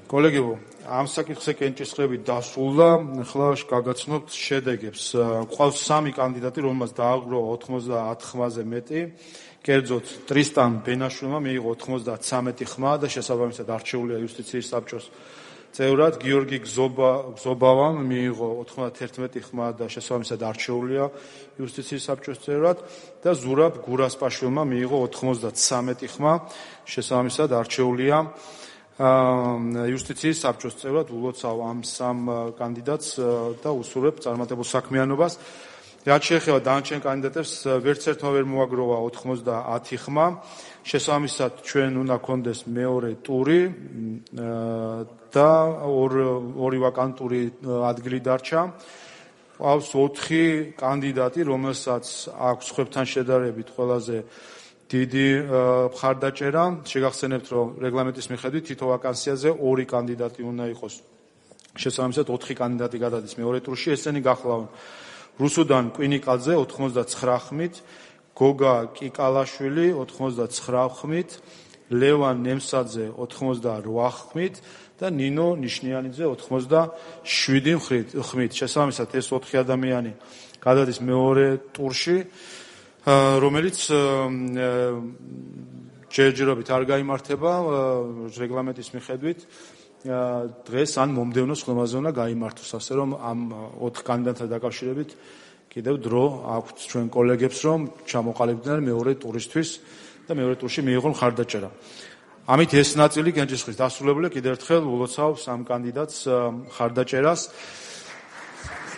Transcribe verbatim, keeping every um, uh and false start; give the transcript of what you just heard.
კოლეგებო, ამ საკითხზე კენჭისყრებით დასრულდა, ახლა გაგაცნობთ შედეგებს. Ყავს სამი კანდიდატი, რომელმაც დააგროვა ოთხმოცდაათ ხმაზე მეტი. კერძოდ ტრისტან ბენაშვილმა მიიღო ოთხმოცდათსამეტი ხმა და შესაბამისად არჩეულია იუსტიციის საბჭოს წევრად. გიორგი გზობავამ მიიღო ოთხმოცდაათერთმეტი ხმა და შესაბამისად არჩეულია იუსტიციის საბჭოს წევრად და ზურაბ გურასპაშვილმა მიიღო ოთხმოცდათსამეტი ხმა, შესაბამისად არჩეულია იუსტიციის საბჭოს წევრად. ულოცავ ამ სამ კანდიდატს და უსურვებ წარმატებულ საქმიანობას. რაც შეეხება დანარჩენ კანდიდატებს, ვერც ერთმა ვერ მოაგროვა ოთხმოცდაათი ხმა. შესაბამისად ჩვენ უნდა გქონდეს მეორე ტური და ორი ვაკანტური ადგილი დარჩა. ყავს ოთხი კანდიდატი, რომელსაც აქვს სხვებთან შედარებით ყველაზე დიდი მხარდაჭერა. შეგახსენებთ, რომ რეგლამენტის მიხედვით თითო ვაკანსიაზე ორი კანდიდატი უნდა იყოს. შესაბამისად ოთხი კანდიდატი გადადის მეორე ტურში. ესენი გახლავენ რუსუდან კვინიკაძე ოთხმოცდაცხრა ხმით, გოგა კიკალაშვილი ოთხმოცდაცხრა ხმით, ლევან ნემსაძე ოთხმოცდარვა ხმით და ნინო ნიშნიანიძე ოთხმოცდაშვიდი ხმით. შესაბამისად ეს ოთხი ადამიანი გადადის მეორე ტურში, რომელიც ჯერჯერობით არ გაიმართება რეგლამენტის მიხედვით. დღეს ან მომდევნო ხმაზე უნდა გაიმართოს, ასე რომ ამ ოთხ კანდიდატთან დაკავშირებით კიდევ დრო აქვთ ჩვენ კოლეგებს, რომ ჩამოყალიბდნენ მეორე ტურისთვის და მეორე ტურში მიიღონ მხარდაჭერა. ამით ეს ნაწილი კენჭისყრის დასრულებულია. კიდევ ერთხელ ულოცავ სამ კანდიდატს მხარდაჭერას.